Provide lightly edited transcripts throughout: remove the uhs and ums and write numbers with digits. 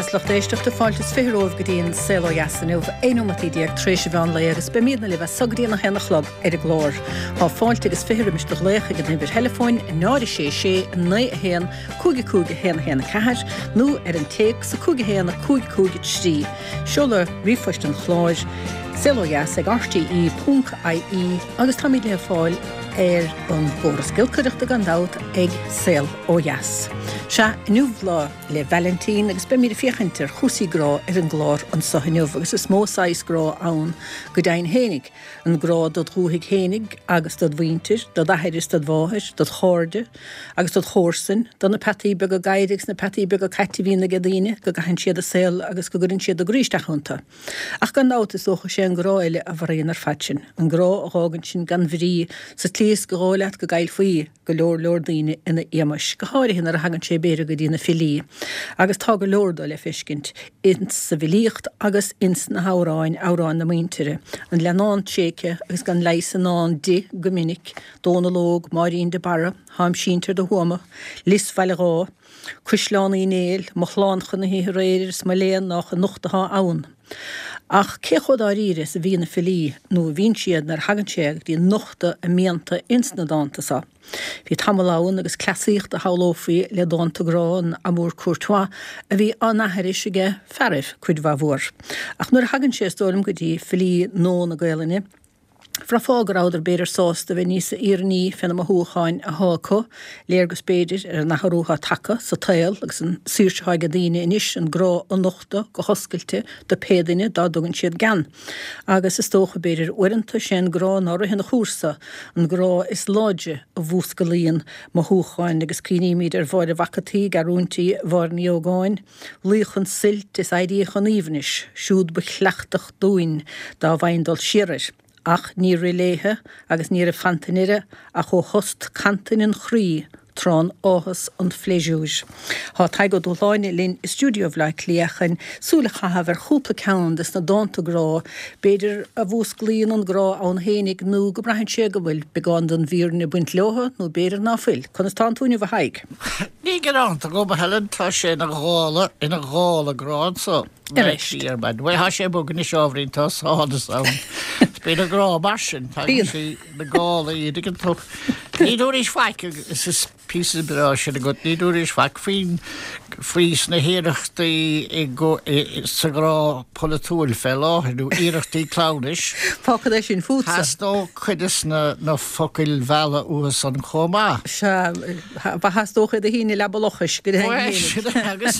is lucht éisteachta, fáilte is 20 romhaibh go dtí an Saol Ó Dheas inniu, 11 nóimeataí tar éis an mheán lae agus beimídne libh as so go dtí an 1 a chlog ar an gclár. Tá fáilte agus 20 roimis do ghlaoch ag an uimhir theileafóin 0 6 6 9 1 5 5 1 1 4 nó ar an téacs 5 1 5 5 3. Seoladh ríomhphoist an chláir, saolodheas ag rte ponc ie agus táimid le fáil ar an gcóras giolcaireachta gan dabht ag Saol Ó Dheas. Sea, inniu Lá 'le Vailintín agus beimid ag féachaint ar chúrsaí grá ar an gclár anso inniu agus is mó saghas grá ann go deimhin fhéinig, an grá dod dhúthaigh fhéinig agus dod mhuintir, dod athair is dod mháthair, dod chairde agus dod chomharsain, do na peataí beaga gadhair agus na peataí beaga cait a bhíonn aige daoine, go gcaitheann siad a saol agus go gcuireann siad a gcroí isteach iontu. Ach gan dabht is dócha sé an grá eile a mharaíonn ar fad sinn, an grá a dh'fhágann sinn gan bhrí sa tslí is gur dhóigh leat go gcaillfí go leor leor daoine ina éamais, go háirithe nuair a thagann sé b'fhéidir go dtí na filí, agus tá go leor dó le feiscint ins sa bhfilíocht agus ins na hamhráin, amhráin na muintire, an leannán tréigthe agus gan leigheas i ndán di go minic, Dónal Óg, Máirín de Barra, Táim sínte ar do thuama, Lios Bhaile Dháith, Cuisleán Uí Néill, Mo shlán chun na hoíche aréir is mo léan nách anocht athá ann. Ach cé chomh dáiríre is a bhí na filí, nó a bhíonn siad nuair a thagann sé go dtí nochtadh a mianta ins na dánta so? Bhí tamall ann agus cleasaíocht a shamhlófaí le dánta grá, an amour courtois, a bhí á n-aithris aige fearaibh cuid mhaith mhór. Ach nuair a thagann sé, is dóigh liom, go dtí filí nua na Gaelainne, Bhraithfeá go rabhadar b'fhéidir sásta bheith níosa fhírinní fé na mothúcháin athá acu, léargas b'fhéidir ar an athrú athá tagtha sa tsaol agus an saoirse athá aige daoine anois an grá a nochtadh go hoscailte do pé duine dá dtugann siad gean. Agus is dócha b'fhéidir uaireanta sé an grá ná ritheann a chúrsa, an grá is láidre a mhúscalaíonn mothúcháin agus cuimhnímid ar Mháire Mhac a' tSaoi, Gearúintí Mháire Ní Ógáin, Luí chun suilt is éirí chun aoibhnis, siúd ba chleachtadh dúinn dá bhfaighinn dul siar air. Ach níor rith léithe agus ní raibh fanta i ndeireadh ach ó thost cantain an chroí trán áthas an phléisiúir. Tá Tadhg Ó Dúshláine linn i stiúideo Bhaile Átha Cliath chun súil a chaitheamh ar chúpla ceann des na dánta grá, b'fhéidir, a mhúsclaíonn an grá ann fhéinig nó go mbraitheann sé go bhfuil beagán den bhfírinne ag baint leotha nó b'fhéidir ná fuil. Conas tánn tú inniu a Thaidhg? Ní gearánta agam, a Helen, tá sé ina ghála, ina ghála grá anso. Arís. Ar maidin. Bhuel, tá sé bog anois ábhairín, tá sonas ann. Bíonn an grá mar sin, tagann sé na gálaí, an dtuigeann tú. Ní dúraís faic, agus is píosa breá sin agat, ní dúraís faic faoin, faoi sna hiarrachtaí i gco, i, sa ghrá polaitiúil fé láthair, nó iarrachtaí cleamhnais. Fágfad é sin fútsa. Theastódh cuid de na, na focail mheala uathu san chomh maith. Sea. Ba theastódh iad a shíneadh i leaba lochais go deimhin féinig. Bhuel, agus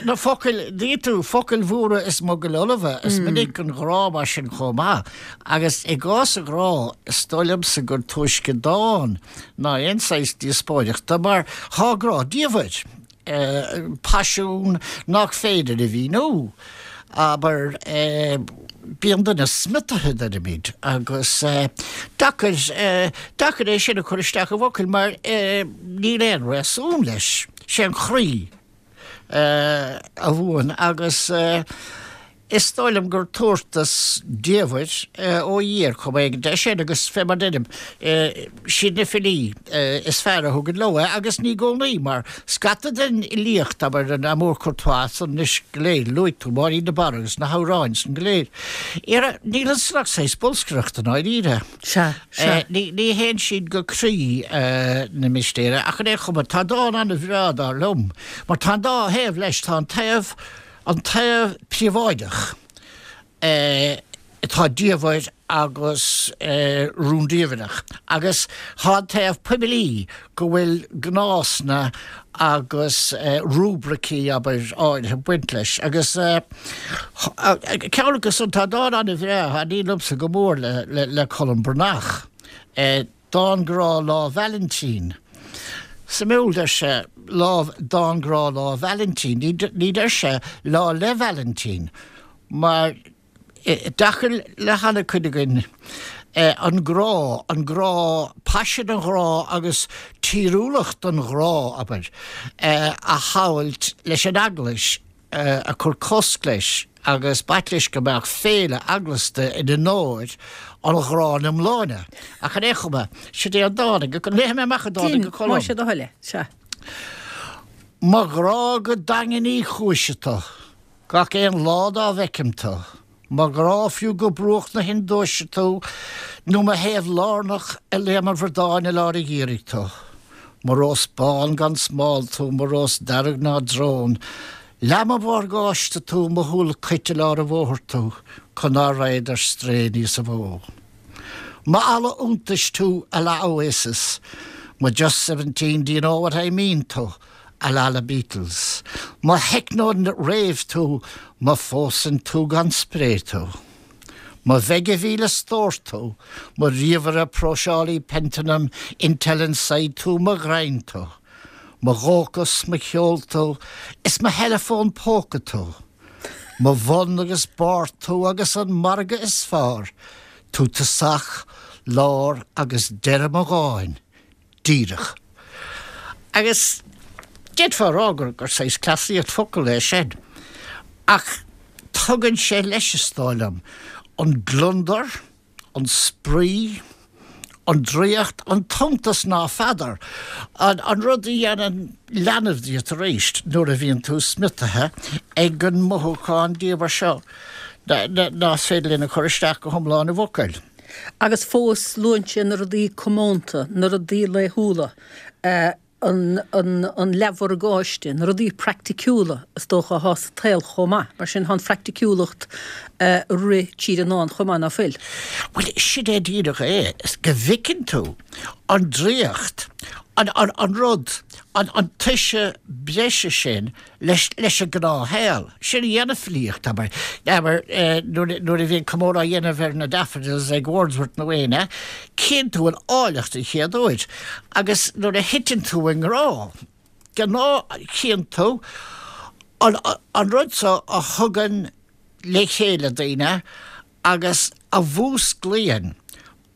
na focail, dtuigeann tú, focail mhóra is mogaill fholmha, is minic an grá mar sin chomh maith. Agus i gcás an ghrá, is dóigh liomsa gur túisce dán ná aon saghas díospóireachta, mar thá grá diamhair. paisiún nach féidir a mhíniú. Abair, bíonn duine smiotaithe, deirimid, agus deacair, deacair é sin a chur isteach i bhfocail mar níl aon réasún leis. Sé an croí a bhuann agus. Is dóigh liom gur tabhartas diamhair ó Dhia ar chuma éigin é sin agus fé mar deirim, siad na filí is fearr a thugann leo é agus ní i gcónaí mar scata den fhilíocht, abair an amour courtois san anois go léir, luaigh tú Máirín de Barra agus na hamhráin san go léir. Ara, níl ansan ach saghas bolscaireachta i ndáiríre. Sea, sea. Ní théann siad go croí na mistéire ach ar aon chuma tá dán an-bhreá dar liom mar tá an dá thaobh leis, tá an taobh, An taobh príobháideach atá diamhair agus rúndiamhrach agus tá an taobh poiblí go bhfuil gnásanna agus rúibricí, abair, áirithe ag baint leis. Agus ceann acu san, tá dán an-bhreá a thaitníonn liomsa go mór le Colm Breathnach. Dán grá Lá Vailintín. Suimiúil, deir sé, lá, dán grá Lá Vailintín. Ní deir sé Lá 'le Vailintín, mar deacair le han-chuid againn an grá, an grá, paisean an ghrá agus tíriúlacht an ghrá, abair, a shamhailt leis an Eaglais. ag cur cosc leis agus b'ait leis go mbeadh féile eaglasta in onóir an ghrá ina iomláine. Ach ar aon chuma, sid é an dán ag, léifidh mé amach an dán Din, ag Colm. más é do thoil é, sea. Mo ghrá go daingean Uí Chúis tu. Gach aon lá dá bhfeicim tú. Mo ghrá fiú go bruach na hIondúise tú nó mo thaobh lárnach i Léim an Bhradáin i lár an gheimhridh tú. Mo rós bán gan smál tú, mo rós dearg ná drón. Leath mo mhorgáiste tú, mo shúil cait i lár an bhóthair tú, chun ná raghad ar strae níosa mhó. Mo eala iontais tú à la Oasis, mo Just 17 do you know what I mean tú, à la na Beatles. Mo techno rave tú, mo phósann tú gan spré tú. Mo mheigimhíle stór tú, mo ríomhaire próiseálaí Pentium Intel Inside tú, mo ghreim tú. Mo dhóchas, mo cheol tú, is mo theileafón póca tú. Mo bhun agus barr tú agus an margadh is fearr, tú tosach, lár agus deireadh mo dháin. Díreach. Agus d'fhéadfá a rá gur gur saghas cleasaíocht focal é sin. Ach tugann sé leis, is dóigh liom, an gliondar, an spraoi, an draíocht, an t-iontas ná feadar, an an rud a dhéanann leanbh díot arís nuair a bhíonn tú smiotaithe ag an mothúchán diamhair seo ná féidir linn a chur isteach go hiomlán i bhfocail. Agus fós luann sé na rudaí comónta, na rudaí laethúla, an an leathmhorgáiste, na rudaí praiticiúla is dócha athá sa tsaol chomh maith. Mar sin, tá an phraiticiúlacht ag rith tríd an ndán chomh maith, ná fuil? Bhuel, sin é díreach é, go bhfeiceann tú an draíocht, an an rud, an an toise breise sin leis leis an gnáthshaol. Sin a dhéanann filíocht, abair. Abair, nuair nuair a bhíonn comóradh á dhéanamh ar na Daffodils ag Wordsworth nó éinne, cíonn tú an áilleacht an chéad uair. Agus nuair a thiteann tú i ngrá, de ghnáth cíonn tú an an rud seo a thugann le chéile daoine agus a mhúsclaíonn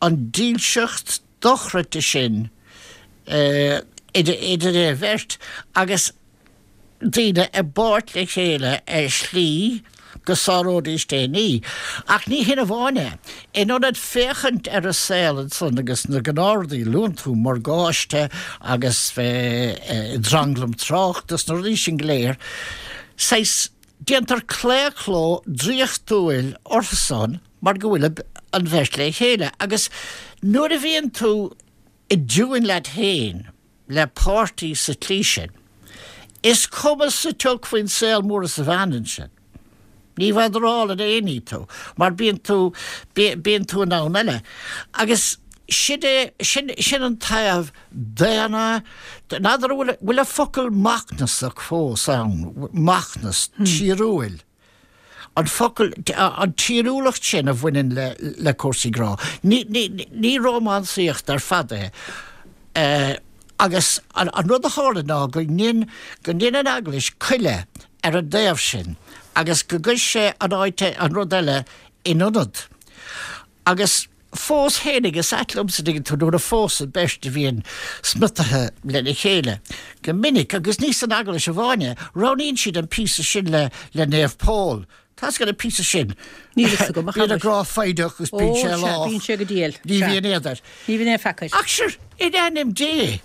an dílseacht dochreidte sin idir an bheirt agus daoine i bpáirt le chéile ar shlí go sáróidís aon ní. Ach ní hin amháin é. In ionad féachaint ar an saol ansan agus na gnáthrudaí a luann tú, morgáiste agus bheith i dtranglam tráchta is na rudaí sin go léir, saghas, déantar claochló draíochtúil orthusan mar go bhfuil an bheirt le chéile. Agus nuair a bhíonn tú i dtiúin leat féin, le páirtí sa tslí sin, is cuma sa tsioc faoin saol mór is a bhean ansin. Ní bhadarálann aon ní tú, mar bíonn tú, bíonn tú i ndomhan eile. Agus sin é, sin, sin an taobh daonna, n'fheadar an bhfuil, bhfuil an focal macnasach fós ann, macnas, tíriúil. An focal, an tíriúlacht sin a bhaineann le cúrsaí grá. Ní, ní, ní rómánsaíocht ar fad é. Agus an rud a tharla ná go ndein, go ndein an Eaglais coilleadh ar an dtaobh sin agus go gcuir sé an áit, an rud eile in ionad. Agus fós fhéinig, is ait liomsa, dtuigeann tú, nuair a phósann beirt a bhíonn smiotaithe lena chéile, go minic, agus ní san Eaglais amháin é, roghnaíonn siad an píosa sin le le Naomh Pól. Tá's agat an píosa sin. Níl fhios agam, a Bíonn an grá foighdeach agus bíonn sé lách. Bíonn sé go diail. Ní bhíonn éad air. Ní bhíonn aon pheaca air. Ach sure, in ainm Dé,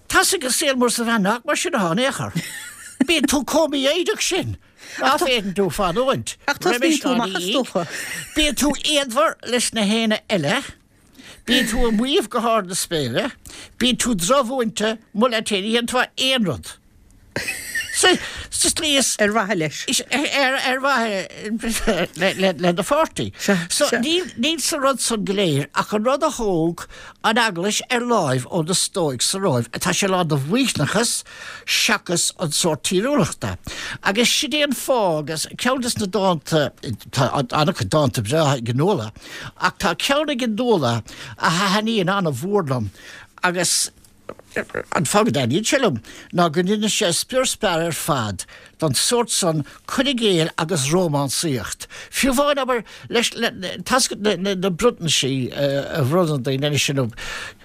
tá's agat saol mór is a bhean nach mar sin atá in aon chor. Bíonn tú chomh mífhoighdeach sin. Ná féadann tú fanúint. Ach tosnaíonn tú amach is dócha. Bíonn tú éadmhar leis na héinne eile. Bíonn tú ag maíomh go hard na spéire. Bíonn tú drochmhúinte, mol leat féin, ní dhéanann tú aon rud. Sa tslí is. Ar mhaithe leis. Ar mhaithe le do pháirtí. So níl sa rud san go léir ach an rud a thóg an Eaglais ar láimh ó na Stóic sa Róimh. Tá sé lán de mhaoithneachas seachas an sórt tíriúlachta. Agus sin é an fáth, agus ceann des na dánta, tá an-chuid dánta breátha ag Nuala, ach tá ceann ag Nuala a thaitníonn an-mhór liom agus an fáth go dtaitníonn sé liom ná go ndeineann sé spior spear ar fad don sórt san cur i gcéill agus rómánsaíocht. Fiú amháin, abair, leis, le, tá's agat na, na bronntaisí a bhronnann daoine anois inniu,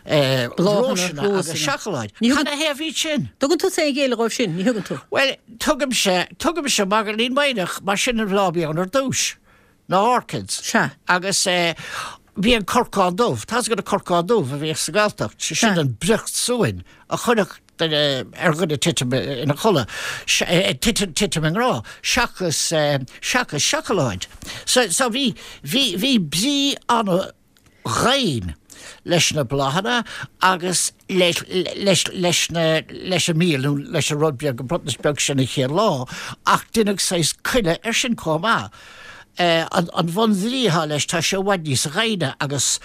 Bláthanna, rósanna agus seacláid. Cad 'na thaobh iad sin? Tugann tú aon ghéilleadh dhóibh sin, ní thugann tú? Bhuel, tugaimse, tugaimse magairlín maoithneach, mar sin an bhláth a bhí ann ar dtús, na orchids. Sea. Agus bhí an corcán dubh, tá's agat an corcán dubh a bhíodh sa Ghaeltacht, sé sin an briocht suain a chuirfeadh. duine, ar dhuine titim ina chodladh, titim, titim i ngrá, seachas, seachas seacláid. So, so bhí, bhí, bhí brí ana dhoimhin leis na bláthanna agus leis, leis, leis na, leis an mhil nó leis an rud beag, an bronntanas beag sin an chéad lá, ach deineadh saghas coinne air sin chomh maith. An, an bhunbhrí atá leis, tá sé i bhfad níos doimhne agus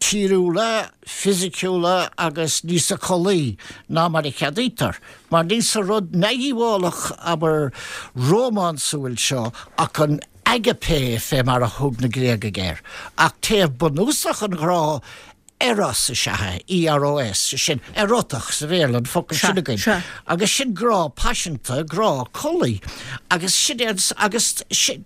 tíriúla, fisiciúla agus níosa collaí ná mar a cheadaítear, mar níl sa rud neamhdhíobhálach, abair, rómánsúil seo ach an agape fé mar a thug na Gréagaigh air, ach taobh bunúsach an ghrá, eros is ea é, EROS, sé sin, erotach sa Bhéarla, an focal sin againn, agus sin grá paiseanta, grá collaí, agus sin é an, agus sin,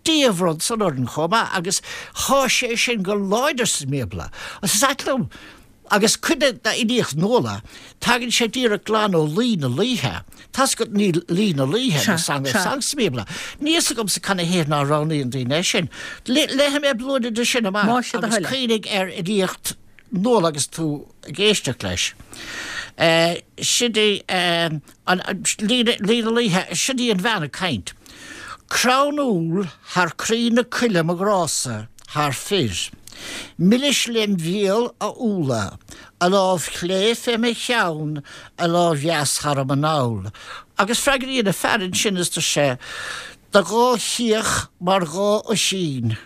Dia a bhronn san orainn chomh maith, agus thá sé sin go láidir sa mBíobla. Agus is ait liom, Agus cuid d'fhilíocht Nuala, tagann sé díreach glan ó Laoi na Laoithe. Tá's agat ní Laoi na Laoithe, the Song of Songs sa mBíobla. Níl fhios agamsa canathaobh ná roghnaíonn daoine é sin. Léifidh mé blúire de sin amach agus cuimhnigh ar fhilíocht Nuala agus tú ag éisteacht leis. Sin í an Laoi na Laoithe, sin í an bhean ag caint. Crann úll thar croí na coille mo ghrása, thar fir. Milis lem mhíol a úlla, a lámh chlé fé mo cheann, a lámh dheas thar m'anáil. Agus freagraíonn a fear ansin is deir sé, Do dhá chíoch mar dhá oisín,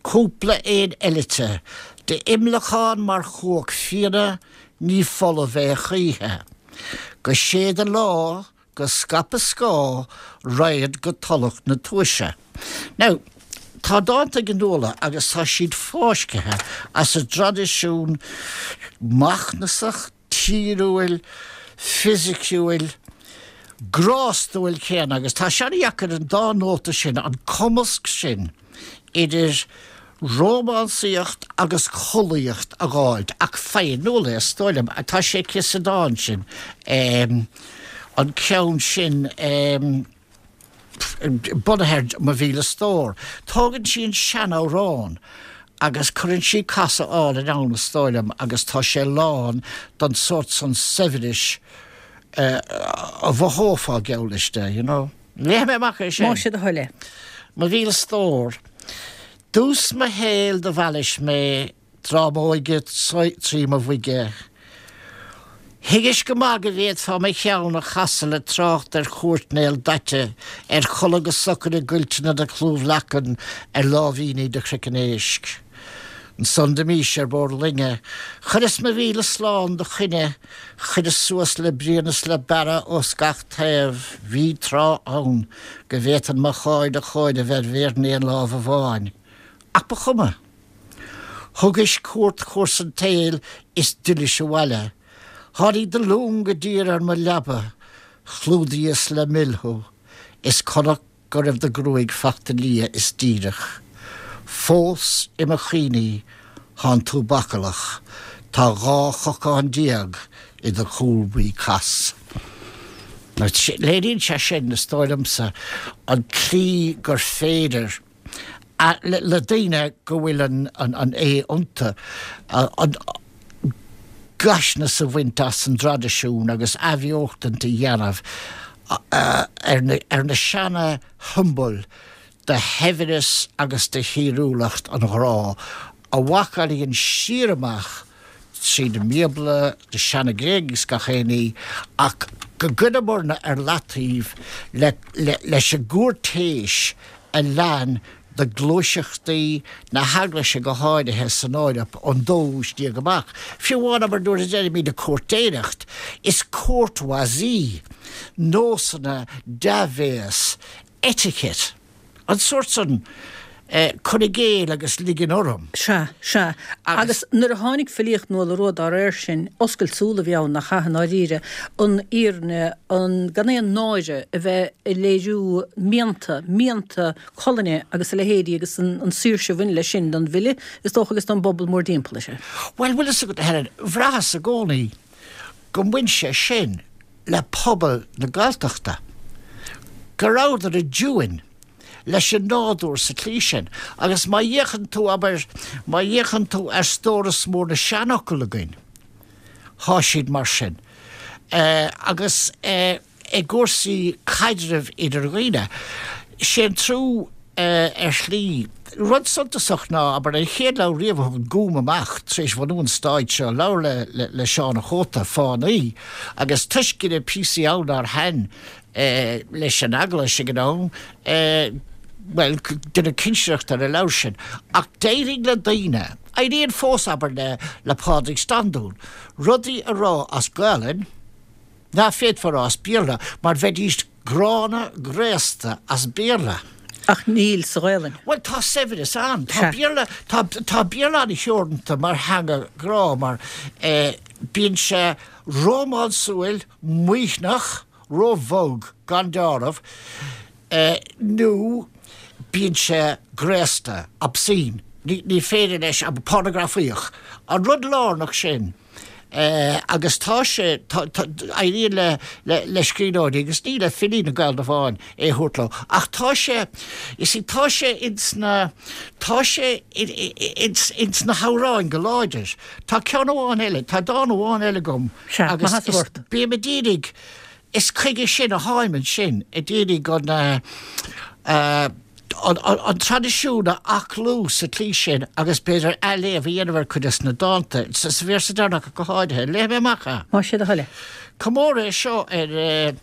cúpla éan eilite, d'imleacán mar chuach fíona, ní folamh é choíche. Go séide lá Go scaipe scáth, raghad go Tulach na Tomhaise. Now, tá dánta ag Nuala agus tá siad fáiscthe as an dtraidisiún macnasach, tíriúil, fisiciúil, grástúil céanna agus tá sé an-dheacair an dá nóta sin, an cumasc sin, idir rómánsaíocht agus collaíocht a dh'fháilt, ach faigheann Nuala é, is dóigh liom. Tá sé aici sa dán sin, an ceann sin bunaithe ar Mo Mhíle Stór. Tógann sí an seanamhrán agus cuireann sí casadh álainn ann, is dóigh liom, agus tá sé lán den sórt san saibhris a mhothófá, geall leis de, you know. Léifidh mé amach é sin. Más é do thoil é. Mo mhíle stór. Dtús mo shaoil do mheallais mé tráth m'óige trí mo bhoige. Thuigis go maith go bhféadfá mo cheann a chasadh le trácht ar chúirt Néill Daite, ar chodladh go socair i gcuilteanna do chlúmh leacan ar láimhíní do chraiceann éisc. Ansan d'imís ar bord loinge, chuireas mo mhíle slán do choinne, Chuireas suas le bruíon is le bearradh ós gach taobh, bhí tráth ann go bhféadfainn mo cháil a chomhaireamh ar mhéar an aon lámh amháin. Ach ba chuma. Thugais cuairt chúrsa an tsaoil is d'fhillis abhaile. Tháinig do long i dtír ar mo leaba, chlúdaíos le mil thú, is chonac go raibh do ghruaig fachta liath is díreach. Fós i mo chuimhní thánn tú bacallach, tá 12 chocán i do chúl buí cas. Léiríonn sé sin, is dóigh liomsa, an tslí gur féidir le daoine go bhfuil an A iontu, an gaisneas a bhaint as an dtraidisiún agus athbheochtaint a dhéanamh ar na seana shiombail de shaibhreas agus de thíriúlacht an ghrá a mhacallaíonn siar amach tríd an mBíobla, na seana Gréagaigh is gach aon ní, ach go gcuireamarna ar leataobh leis an gcúirtéis a lean de ghluaiseachtaí na hEaglaise go háirithe san Eoraip ón dóú haois déag amach. Fiú amháin, abair, nuair a deirimid an cúirtéireacht, is courtoisie, nósanna, dea-bhéas, etiquette, an sórt san cur i gcéill agus ligean orm. Sea, sea. Agus nuair a tháinig filíocht Nuala Rua dá réir sin, oscailt súl a bhí ann, nach ea, i ndáiríre, an fhírinne, an, gan aon náire a bheith ag léiriú mianta, mianta colainne agus a leithéidí agus an saoirse a bhain leis sin don bhfile, is dócha, agus don bpobal mórdtimpeall air. Bhuel, bhfuil fhios agat, a Helen, bhraitheas i gcónaí go mbain sé sin le pobal na Galltachta, go rabhadar i dtiúin leis an nádúr sa tslí sin. Agus má fhéachann tú, abair, má fhéachann tú ar stóras mór na seanfhocal againn, Thá siad mar sin. Agus i gcúrsaí caidrimh idir dhaoine, sé an trua ar shlí. Rud suntasach ná, abair, an chéad leabhar riamh a thug an Gúm amach tar éis bhunú an stáit seo, leabhar le Seán a' Chóta, Fánaí, agus toisc go raibh píosaí ann nár thaitin leis an Eaglais ag an am, bhuel, deineadh cinsireacht ar an leabhar sin. Ach d'éirigh le daoine, éiríonn fós, abair, le Pádraig Standún, rudaí a rá as Gaelainn ná féadfá a rá as Béarla, mar bheidís gránna graosta as Béarla. Ach níl sa Ghaelainn. Bhuel, tá saibhreas ann. Tá Béarla, tá, tá Béarla an-theoranta mar theanga ghrá, mar bíonn sé rómánsúil, maoithneach, róbhog, gan deáramh, nó bíonn sé graosta, obscene, ní féidir leis, pornagrafaíoch. An rud lárnach sin, agus tá sé, éiríonn le le scríbhneoirí, agus ní le filí na Gaeilge amháin, é a thabhairt leo, ach tá sé, you see, tá sé ins na, tá sé ins na hamhráin go láidir. Tá ceann amháin eile, tá dán amháin eile agam, Sea, agus má tá ort. Bím ag iarraidh, is chuige sin a tháim ansin, ag iarraidh an, an traidisiún a aclú sa tslí sin agus b'fhéidir athléamh a dhéanamh ar chuid des na dánta, sa véarsa deireanach go háirithe. Léifidh mé amach é. Más é do thoil é. Comóradh é seo ar,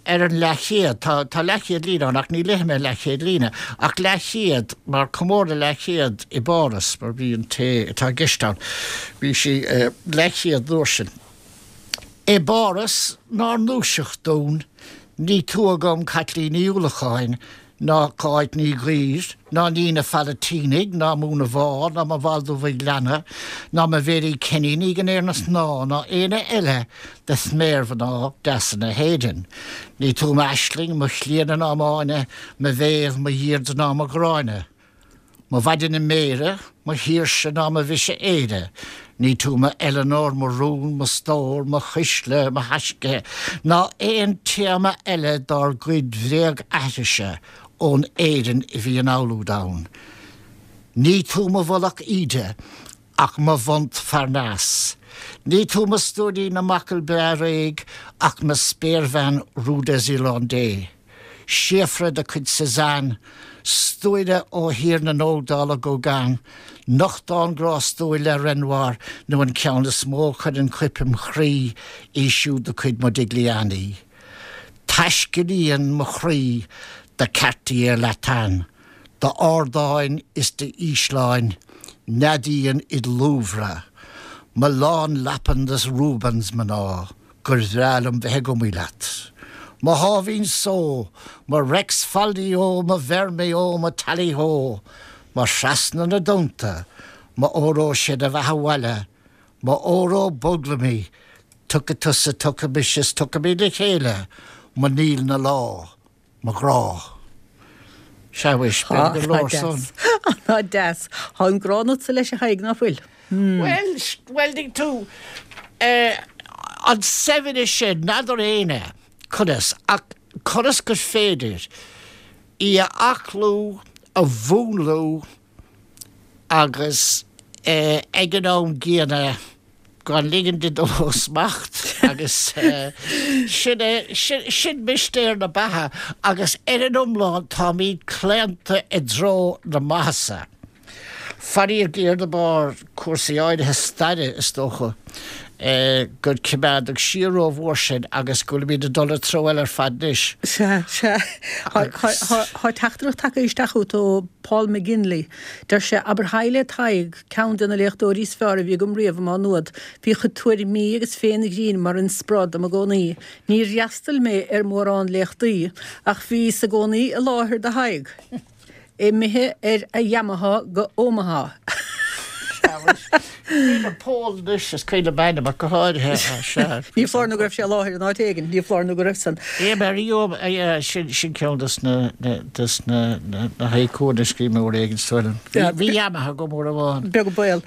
ar an leathchéad. Tá, tá leathchéad líne ann ach ní léifidh mé an leathchéad líne, ach leathchéad mar comóradh leathchéad i bPáras, mar bhí an té atá i gceist ann, bhí sí leathchéad an uair sin. I bPáras nár ndúiseacht dúinn, ní tú agam Caitlín Ní Uallacháin, ná Cáit Ní Ghuidhir, ná Nina Phalatínigh, ná Múna Mhá, ná mo Bhaldo Mhaigh Leanna, ná mo Mhéirí Kenny Ní den Éirne Snáth, ná éinne eile de sméarmhná deasa na hÉireann. Ní tú m'Aisling, mo Chlíodhna ná m'Áine, mo Mhéabh, mo Dheirdre ná mo Ghráinne. Mo Mhaighdean Mhéire, mo Shaoirse ná mo Mhise Éire, ní tú mo Eleanor, mo rún, mo stór, mo chuisle, mo thaisce, ná aon téama eile dár gcuid bhréag-aithrise ón Éirinn a bhí in amhlúid ann. Ní tú mo mhullach Íde, ach mo Mhontparnasse. Ní tú mo stóirín na mbachall breá réidh, ach mo spéirbhean Rue des Irlandais. Síofra de chuid Cézanne, stuaire ó thír na nógdála Gauguin, nochtán grástúil le Renoir nó an ceann is mó a chuireann coip im chroí, í siúd de chuid Modigliani. Taiscéalaíonn mo chroí do Quartier Latin, d'ardáin is d'ísleáin, neadaíonn id Louvre, mo lánlapan de Rubens mná. gur bhreá liom bheith ag iomaí leat. Mo sháimhín só, mo Reics faldí-ó, mo Vermeó, mo Tally-ho, mo thrasna na dtonnta, mo óró sé do bheatha abhaile, mo óró boglaimí, tiocfaidh tusa, tiocfaidh mise is tiocfaimid le chéile, mo Níl na Lá. Mo ghrá. Sea, mhuis, b'fhéidir gur leor san. Tá deas. Tá an grá ionatsa leis a Thaidhg, ná fuil? Bhuel, bhuel, tuigeann tú, an saibhreas sin, n'fheadar éinne conas, ach conas gur féidir í a aclú, a mhúnlú agus ag an am gcéanna, gan ligean di dul ó smacht agus sin é, sin mistéir na beatha agus ar an iomlán táimid claonta i dtreo na maitheasa. Faraor géar de bharr cúrsaí áirithe staire is dócha gur coimeádadh siar rómhór sinn agus go bhfuilimid ag dul i treo eile ar fad anois. Sea, sea. Tá teachtaireacht tagtha isteach chugat ó Paul McGinley. Deir sé, Abair haigh le Tadhg. Ceann de na léachtóirí is fearr a bhí agam riamh i Má Nuad. Bhí a chuid tuairimí agus féith an ghrinn mar inspioráid dom i gcónaí. Níor fhreastail mé ar mhórán léachtaí, ach bhíos i gcónaí i láthair do Thadhg. Imithe ar a Yamaha go Omaha. Cuimhin liom Pól anois, is cuimhin liom ainm ach go háirithe, sea. Ní foláir nó go raibh sé i láthair in áit éigin, ní foláir nó go raibh san. Sin ceann des na des na na haikuanna a scríobh mé uair éigin is dóigh liom. Bhí Yamaha agam uair amháin. Beag an baol.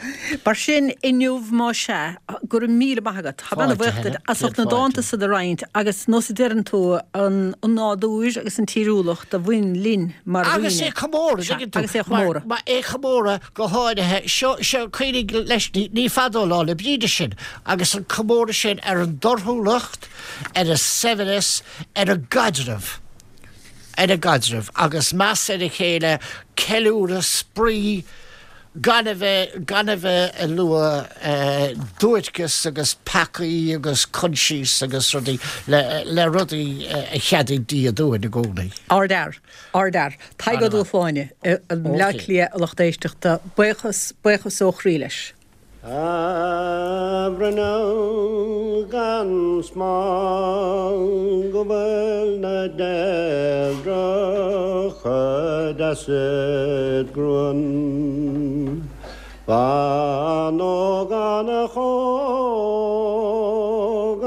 Mar sin, inniu, más ea, go raibh míle maith agat. Tá mé ana-bhuíoch duit as ucht na dánta san a roinnt agus nós a deireann tú, an nádúr agus an tíriúlacht a bhain linn mar dhaoine. Agus é chomóradh, tuigeann tú. Agus é a chomóradh. Mar é a chomóradh go háirithe. Seo, seo. Cuimhnigh leis, ní fada ó Lá 'le Bríde sinn, agus an comóradh sin ar an dtorthúlacht, ar an saibhreas, ar an gcaidreamh, ar an gcaidreamh, agus meas ar a chéile, ceiliúradh, spraoi, gan a bheith, gan a bheith ag lua duairceas agus peacaí agus coinsias agus rudaí, le, le rudaí a cheadaigh Dia dúinn i gcónaí. Ardfhear. Ardfhear. Tadhg Ó Dúshláine i mBleá Cliath, a lucht éisteachta. Buíochas, buíochas ó chroí leis. A bhruinneall gan smál go bhfuil na deilbhreacha deas id ghruaim. Bean ógánach óg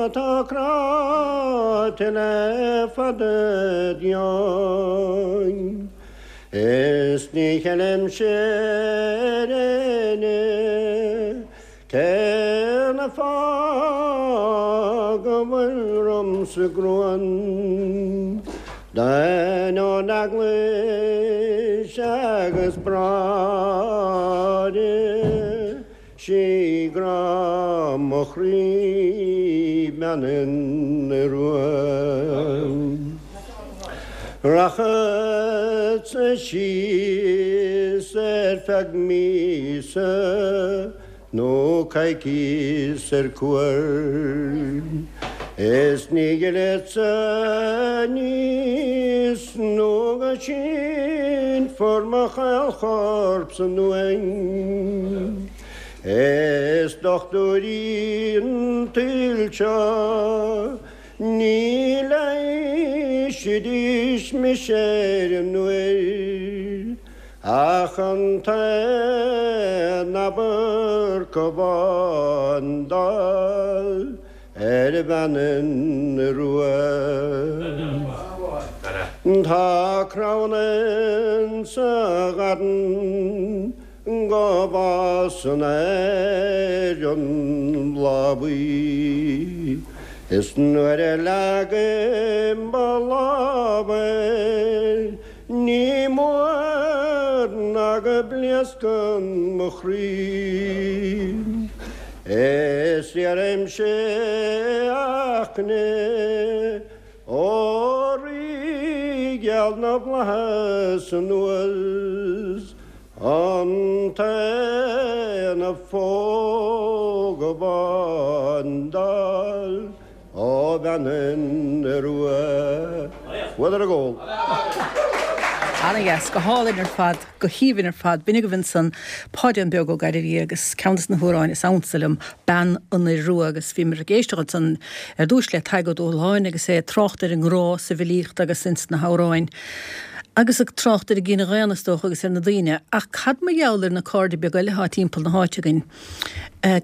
atá cráite le fada dian. Is ní cheilimse ar éinne cén fáth go bhfuil ormsa gruaim. D'ainneoin eaglais agus bráithre, 'sí grá mo chroí bean an Iorua. Rachadsa síos ar feadh míosa nó coicíos ar cuairt, is ní fhillfeadsa aníos nó go sínfear mo chaol-chorp san uaigh. Is dochtúirí an tsaoil seo ní leighisfidís mise ar an uair. Ach an t-aon amharc amháin d'fháil ar bhean an Iorua. Tá crann insa gharraí go bhfásann air an bláth buí, is nuair a leagaim mo lámh air, Ní mór ná go bpléascann mo chroí Is iarraimse eagna ó Rí geal na bhFlaitheas anuas An t-aon phóg amháin d'fháil Ó bhean an Iorua. Bhuadar a gcól. Ana-dheas, go hálainn ar fad, go haoibhinn ar fad. B'in agaibh ansan Páidín Beag Ó Gairbhí agus ceann des na hamhráin is ansa liom, Bean an Iorua agus bhíomar ag éisteacht ansan ar dtúis le Tadhg Ó Dúshláine agus é ag trácht ar an ngrá sa bhfilíocht agus ins na hamhráin agus ag trácht ar an gcine dhaonna is dócha agus ar na daoine. Ach cad mar gheall ar na cairde beaga eile atá timpeall na háite againn?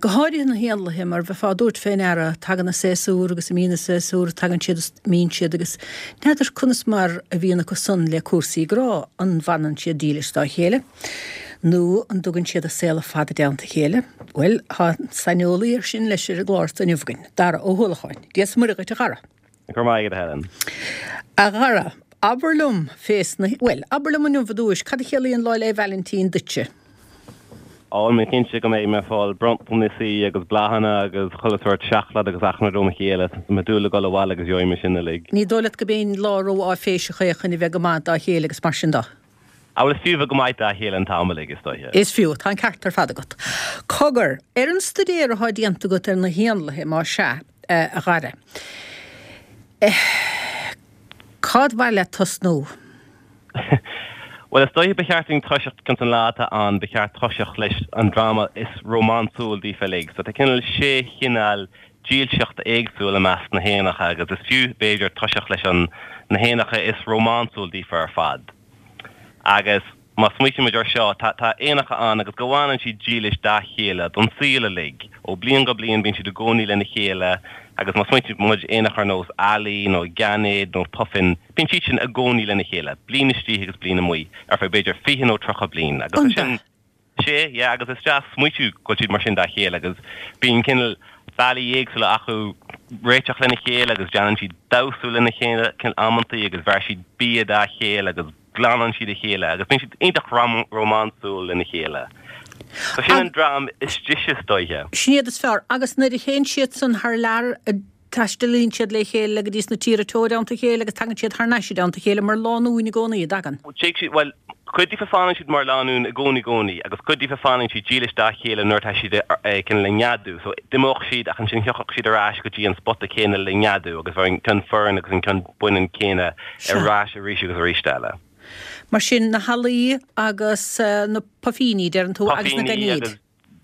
Go háirithe na héanlaithe, mar bheifeá ag tabhairt fé ndeara, tagann an séasúr agus imíonn an séasúr, tagann siad is imíonn siad agus n'fheadar conas mar a bhíonn acu san le cúrsaí grá, an bhfanann siad dílis dá chéile nó an dtugann siad a saol ar fad i dteannta a chéile? Bhuel, tá saineolaí ar sin leis ar an gclár so inniu againn, Dara Ó hUallacháin. Dia 's Muire dhuit, a Dhara. Go raibh maith agat, a Helen. A Dhara, abair liom fés na, bhuel, abair liom inniu ar dtúis, cad a chiallaíonn Lá 'le Vailintín duitse? Á, bhuel, cinnte go mbeidh mé ag fáil bronntanasaí agus bláthanna agus chuile sórt seacláid agus achan rud óna chéile. Tá mé ag dúil le dul abhaile agus gheobhaidh mé sin uilig. Ní dóigh leat go b'aon lá ró-áiféiseach é chun a bheith go maith dá chéile agus mar sin de? Á, bhuel, is fiú bheith go maith dá chéile an t-am uilig, is dóiche. Is fiú, tá an ceart ar fad agat. Cogar, ar an stuidéar atá déanta agat ar na héanlaithe, más ea, a Dhara, cad mhaith leat tosnú? Bhuel, is dóiche ba cheart dúinn toiseacht, cionn is an lá atá ann, ba cheart toiseacht leis an dream is rómánsúil daofa uilig. So tá cineál sé chineál dílseachta éagsúil i measc na héanacha agus is fiú, b'fhéidir, toiseacht leis an na héanacha is rómánsúil daofa ar fad. Agus má smaoitíonn muid ar seo, tá tá éanacha ann agus go bhfanann siad dílis dá chéile don saol uilig. Ó bliain go bliain bíonn siad i gcónaí lena chéile agus má smaoitíonn muid éanacha ar nós ealaí nó geainéad nó puifin, bíonn siad sin i gcónaí lena chéile, bliain istigh agus bliain amuigh, ar feadh b'fhéidir 20 nó 30 bliain agus tá sin. Sea, yeah, agus is deas smaoitiú go bhfuil siad mar sin dá chéile agus bíonn cineál bealaí éagsúla acu réiteach lena chéile agus déanann siad damhsa lena chéile cineál amantaí agus bheir siad bia dá chéile agus glanann siad a chéile agus bíonn siad iontach rómánsúil lena chéile. So sin an dream is deise is dóiche. Sin iad is fearr. Agus nuair a théann siad san thar lear, taistealaíonn siad le chéile go dtí sna tíortha teo i dteannta a chéile agus tagann siad thar n-ais i dteannta a chéile mar lánúin i gcónaí, a dtagann. Téigh siad, bhuel, cuid díofa fanann siad mar lánúin i gcónaí i gcónaí agus cuid díofa fanann siad dílis dá chéile nuair atá siad cineál ag neadú. So d'imeodh siad ach ansin thiocfadh siad ar ais go dtí an spota céanna le neadú agus bheadh an ceann fireann agus an ceann baineann céanna ar ais arís agus arís eile. Mar sin, na healaí agus na puifíní, deireann tú, agus na Puifíní gainéid. agus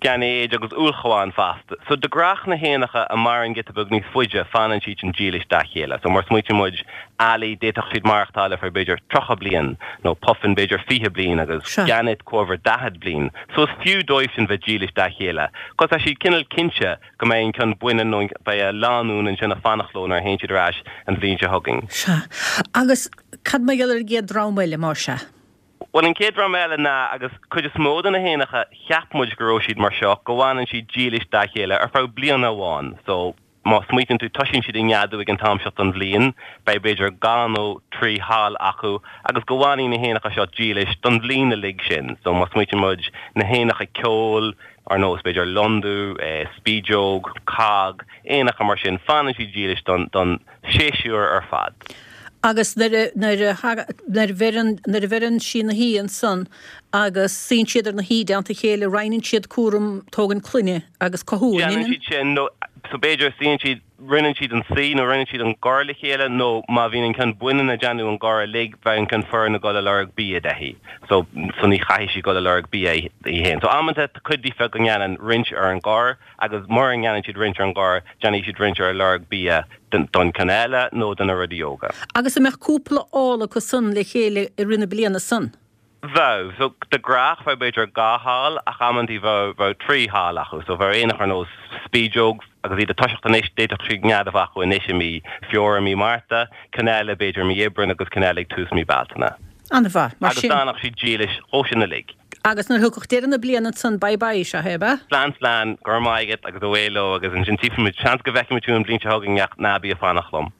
gainéid agus ulchabháin fosta. So de gnách na héanacha a maireann giota beag níos faide, fanann siad sin dílis dá chéile. So mar smaoitíonn muid, ealaí, d'fhéadfadh siad maireachtáil ar feadh b'fhéidir 30 bliain, nó puifin b'fhéidir 20 bliain agus Sea. gannet corradh 40 bliain. So is fiú dóibh sin bheith dílis dá chéile. 'Cos tá siad cineál cinnte go mbeidh an ceann baineann nó beidh a lánúin ansin ag fanacht leo nuair a théann siad ar ais an bhliain seo chugainn. Sea. Agus cad mar gheall ar an gcéad dream eile, más ea? Bhuel, an chéad dream eile ná, agus cuid is mó de na héanacha, cheap muid go raibh siad mar seo, go bhfanann siad dílis dá chéile ar feadh bliana amháin. So, má smaoitíonn tú, toisíonn siad ag neadú ag an t-am seo den bhliain, beidh b'fhéidir dhá nó trí hal acu, agus go bhfanfaidh na héanacha seo dílis don bhliain uilig sin. So, má smaoitíonn muid, na héanacha ceoil, ar nós, b'fhéidir, londubh, spideog, cág, éanacha mar sin, fanann siad dílis don, don séasúr ar fad. Agus nuair a, nuair a, nuair a bheireann, nuair a bheireann sí na huibhe ansan agus suíonn siad ar na huibhe i dteannta a chéile, roinneann siad cúram tógaint clainne agus cothú, an Déanann ionann? siad sin, nó, so b'fhéidir, suíonn siad, roinneann siad an suí nó roinneann siad an gor le chéile nó má bhíonn an ceann baineann ag déanamh an gor uilig, bheadh an ceann fireann ag dul ag lorg bia di. So, so ní chaithfidh sí dul ag lorg bia í féin. So amanta tá cuid díofa go ndéanann roinnt ar an gor agus mura ndéanann siad roinnt ar an gor, déanfaidh siad roinnt ar lorg bia don ceann eile nó do na rudaí óga. Agus an mbeadh cúpla ál acu san le chéile i rith na bliana san? Bheadh. So, de gnách bheadh b'fhéidir dhá hal ach amantaí bheadh, bheadh trí hal acu. So bheadh éanach ar nós spideog agus iad ag toiseacht anois, d'fhéadfadh siad nead a bheith acu anois i mí Feabhra, mí Márta, ceann eile b'fhéidir i mí Aibreáin agus ceann eile ag tús mí Bealtaine. An-mhaith. Mar Agus sin. d'fhanfadh siad dílis dhó sin uilig. Agus nuair a thiocfadh deireadh na bliana ansan, bye bye, sea é, ab ea? Slán slán, go raibh maith agat agus away leo agus ansin tchífimid, seans go bhfeicfimid thú an bhliain seo chugainn ach ná bí ag fanacht liom.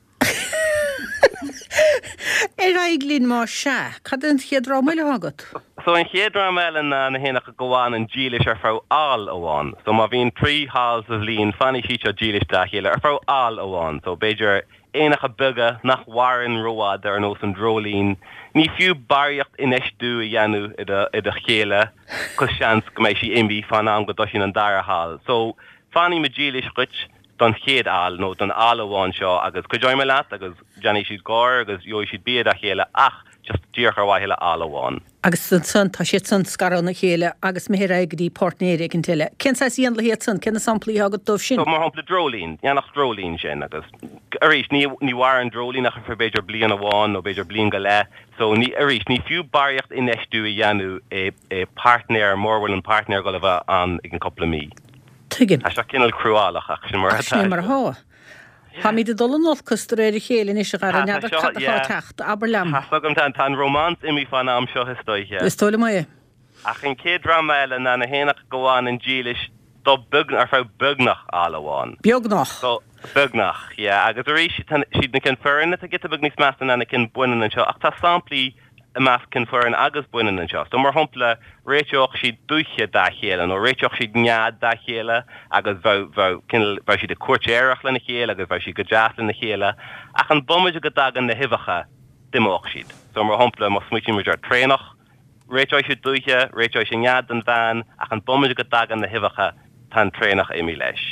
Ar aghaidh linn más ea. Cad é an chéad dream eile atá agat? So an chéad dream eile ná na héanacha go bhfanann dílis ar feadh al amháin. So má bhíonn 3 hal sa bhliain, fanfaidh siad seo dílis dá chéile ar feadh al amháin. So b'fhéidir éanacha beaga nach mhaireann rófhada ar nós an dreoilín. Ní fiú barraíocht infheistiú a dhéanamh i do i do chéile 'cos seans go mbeidh sí imithe fán am go dtoisíonn an dara hal. So fanfaidh mé dílis dhuit. don chéad al nó don al amháin seo agus cuideoidh mé leat agus déanfaidh siad gor agus gheobhaidh siad bia dá chéile ach just díreach ar mhaithe le al amháin. Agus ansan tá siad san scartha óna chéile agus imithe ar aghaidh go dtí páirtnéir éicint eile. Cén saghas éanlaith iad san? Cé na samplaí atá agat dóibh sin? So mar shampla dreoilín, éanach dreoilín sin agus arís ní ní mhaireann dreoilín ach ar feadh b'fhéidir bliain amháin nó b'fhéidir bliain go leith so ní arís ní fiú barraíocht infheistiú a dhéanamh i i páirtnéir mura bhfuil an páirtnéir ag dul a bheith ann i gceann cúpla mí. Tuigim. Tá seo cineál cruálach ach sin mar Ach sin é mar atá. Táimid ag dul in olcas de réir a chéile anois a Dhara, Tá, tá n'fheadar seo, cad atá ag yeah. teacht, abair liom. Tá's agam, tá, tá an romance imithe fán am seo is dóiche. Is dóigh liom é. Ach an chéad dream eile ná na héanacha go bhfanann dílis do beag, ar feadh beagnach al amháin. Beagnach. So, beagnach, yeah. Agus arís, tá, siad na cinn fireann atá giota beag níos measa ná na cinn baineann anseo ach tá samplaí i measc cinn fireann agus baineann anseo. So, mar shampla, réiteodh siad dúiche dá chéile nó réiteodh siad nead dá chéile agus bheadh, bheadh, cineál, bheadh siad ag cúirtéireacht lena chéile agus bheadh siad go deas lena chéile. Ach an bomaite go dtagann na huibheacha, d'imeodh siad. So, mar shampla, má smaoitíonn muid ar traonach, réiteoidh sé dúiche, réiteoidh sé nead don bhean ach an bomaite go dtagann na huibheacha, tá an traonach imithe leis.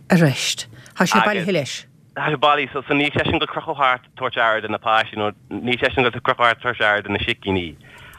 Arís, tá sé bailithe leis. Tá sé bailithe so so níl seisean ag dul crochadh thart tabhairt aire do na páistí nó níl seisean ag dul crochadh thart tabhairt aire do na sicíní.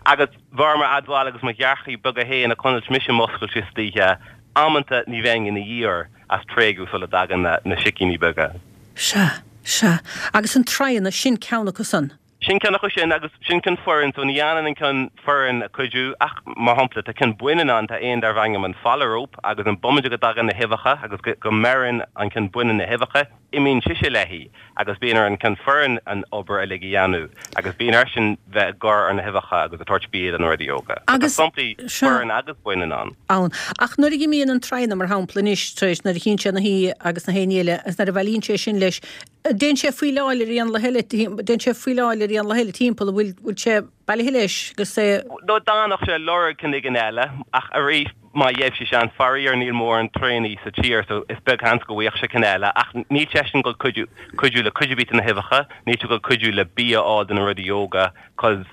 Agus bharr mo admháil agus mo ghearrchaí beaga féin a chonaic mise muscailt istoíche, amanta ní bheinn ina dhiaidh as tréigeadh sula dtagann na na sicíní beaga. Sea, sea. Agus an traonach, sin ceann acu san. Sin ceann acu sin agus sin ceann fireann so ní fhanann an ceann fireann ag cuidiú ach mar shampla tá ceann baineann ann, tá éan darbh ainm an phalaróip agus an bomaite go dtagann na huibheacha agus go mbeireann an ceann baineann na huibheacha, imíonn sise léi agus bíonn ar an ceann fireann an obair uilig a dhéanamh agus bíonn airsean bheith ag gor ar na huibheacha agus ag tabhairt bia do na rudaí óga. So tá Agus samplaí seo. fireann agus baineann ann. ann. Ach nuair a imíonn an traonach mar shampla anois tar éis nuair a chíonn sé na huibhe agus na héin eile agus nuair a bhailíonn sé sin leis. Déanann sé faoileáil ar éanlaithe eile, déanann sé faoileáil ar éanlaithe eile timpeall, an bhfuil, bhfuil sé bailithe leis agus é. Nó d'fhanfadh sé ag lorg ceann éigin eile, ach arís, má gheibh sé seans, faraor níl mórán traonaí sa tír so is beag seans go bhfaigheadh sé ceann eile, ach níl seisean ag dul cuidiú, cuidiú le cuid ar bith de na huibheacha, níl sé ag dul cuidiú le bia a fháil do na rudaí óga, 'cause.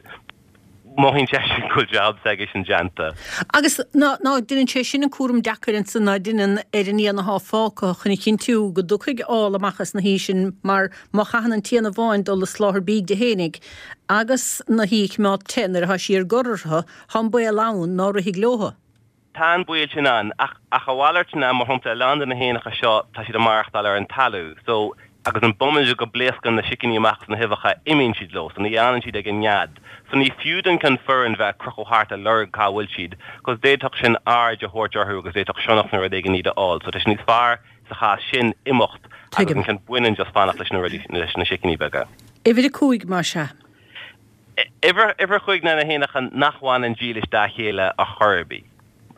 Mothaíonn seisean go bhfuil jab s'aigesean déanta. Agus ná deineann sé sin an cúram deacair ansan ná deineann ar an éan athá fágtha chun a chinntiú go dtiocfaidh ál amach as na huibhe sin mar má chaitheann an t-éan amháin dul ag soláthar bídh di fhéinig agus na huibhe a chimeád te nuair athá sí ar gor orthu, thá an baol ann ná rithfidh leotha. Tá an baol sin ann, ach ach a mhalairt ná, mar shampla, a lán de na héanacha seo, tá siad ag maireachtáil ar an talamh, so, agus an bomaite go bpléascann na sicíní amach as na huibheacha, imíonn siad leo, so ní fhanann siad ag an nead. So ní fiú don ceann fireann bheith ag crochadh thart ag lorg cá bhfuil siad, 'cause d'fhéadfadh sin aird a thabhairt orthu agus d'fhéadfadh sionnach nó rud éigin iad a fháil, so tá sé níos fearr sa chás sin imeacht agus Tuigim. an ceann baineann just fanacht leis na rudaí, leis na sicíní beaga. Uimhir 5, más ea. Uimhir 5 ná na héanacha nach bhfanann dílis dá chéile ar chor ar bith.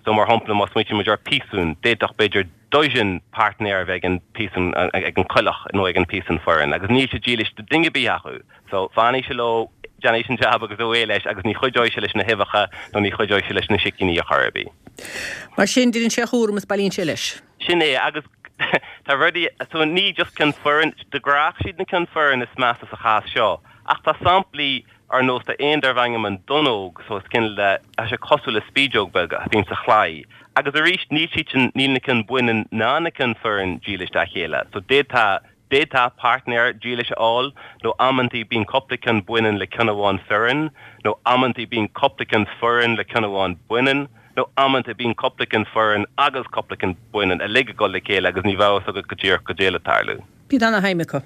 So mar shampla má smaoitíonn muid ar piasún, d'fhéadfadh b'fhéidir dozen páirtnéir a bheith ag an piasún, ag an coileach nó ag an piasún fireann agus níl sé dílis do duine ar bith acu. So fanfaidh sé leo, déanfaidh sé an jab agus away leis agus ní chuideoidh sé leis na huibheacha nó ní chuideoidh sé leis na sicíní ar chor ar bith. Mar sin, deineann sé a chúram is bailíonn sé leis. Sin é, agus tá rudaí, so ní just ceann fireann, de ghnáth siad na ceann fireann is measa sa chás seo. Ach tá samplaí ar nós tá éan darbh ainm an donnóg so is cineál de, tá sé cosúil le spideog beag a bhíonn sa chlaí. Agus arís níl siad sin, níl na cinn baineann ná na cinn fireann dílis dá chéile. So d'fhéadfá, d'fhéadfá páirtnéir dílis a fháil nó amantaí bíonn cúpla ceann baineann le ceann amháin fireann nó amantaí bíonn cúpla ceann fireann le ceann amháin baineann nó amanta bíonn cúpla ceann fireann agus cúpla ceann baineann uilig ag dul le chéile agus ní bheadh fhios agat go díreach goidé le tarlú. Bíonn ana-shuim acu.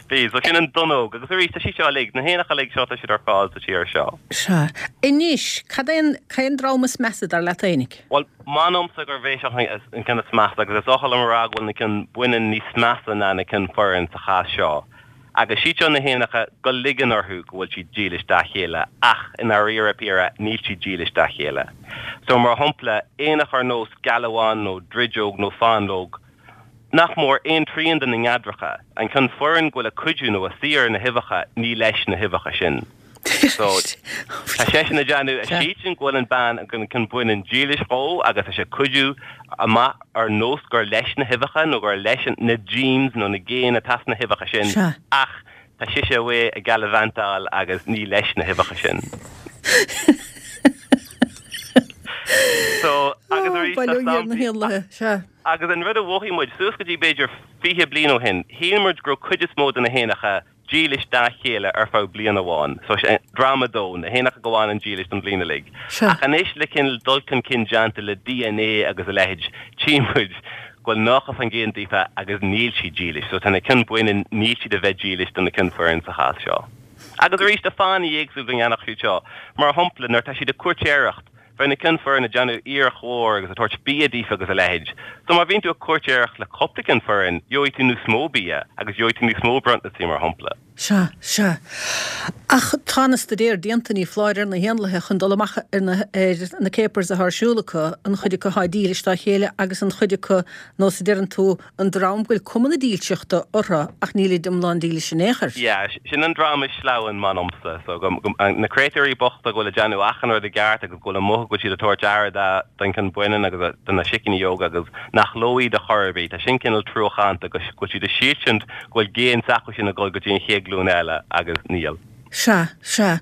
Bíonn. So sin an donnóg. Agus arís, tá siad seo uilig, na héanacha uilig seo, tá siad ar fáil sa tír seo. Sea. Anois, cad é an, cad é an dream is measa, dar leat fhéinig? Bhuel, m'anamsa gurb é seo an ceann is measa, agus is oth liom a rá go bhfuil na cinn baineann níos measa ná na cinn fireann sa chás seo. Agus siad seo na héanacha go ligeann orthu go bhfuil siad dílis dá chéile, ach i ndáiríre píre, níl siad dílis dá chéile. So, mar shampla, éanach ar nós gealbhán nó drideog nó fáinleog, Nach mór aon trian de na neadracha, an ceann fireann go bhfuil ag cuidiú nó ag suí ar na huibheacha, ní leis na huibheacha sin. So, tá seisean ag déanamh, a síltean go bhfuil an bean, an ceann baineann dílis dhó agus tá sé ag cuidiú amach ar nós gur leis na huibheacha nó gur leis na genes nó na géin atá sna huibheacha sin ach tá sise away ag gallivantáil agus ní leis na huibheacha sin. So, agus arís tá samplaí. Agus an rud a mhothaigh muid, suas go dtí b'fhéidir 20 bliain ó shin, shíl muid go raibh cuid is mó de na héanacha dílis dá chéile ar feadh bliain amháin. So sin dream a dó, na héanacha go bhfanann dílis don bhliain uilig. Ach anois le cineál dul chun cinn déanta le DNA agus a leithéid, tchí muid go bhfuil 90% daofa agus níl siad dílis. So tá na cinn baineann, níl siad a bheith dílis do na cinn fireann sa chás seo. Agus arís tá fáthanna éagsúla go ndéanfadh siad seo. Mar shampla, nuair atá siad ag cúirtéireacht, Bheadh na cinn fireann ag déanamh iarracht mhór agus ag tabhairt bia daofa agus a leithéid. So má bhíonn tú ag cúirtéireacht le cúpla ceann fireann, gheobhaidh tú níos mó bia agus gheobhaidh tú níos mó bronntanasí mar shampla. Sea, sea. Ach tá na staidéir déanta, ní foláir, ar na héanlaithe chun dul amach ar na, ar na capers atá ar siúl acu, an chuid acu atá dílis dá chéile agus an chuid acu, nós a deireann tú, an dream go bhfuil cuma na dílseachta orthu ach nílid iomlán dílis in aon chor. Yeah, sin an dream is sleamhain, m'anamsa. So, go, go, na créatúirí bochta go bhfuil ag déanamh achan rud i gceart agus go bhfuil ag mothú go bhfuil siad ag tabhairt aire da, don cheann baineann agus do na sicíní óga agus nach leo iad a chor ar bith. Tá sin cineál truacánta go, go bhfuil siad ag sílsint go bhfuil géin s'acu sin ag dul go dtí an chéad ghlúin eile agus níl. Sea, sea.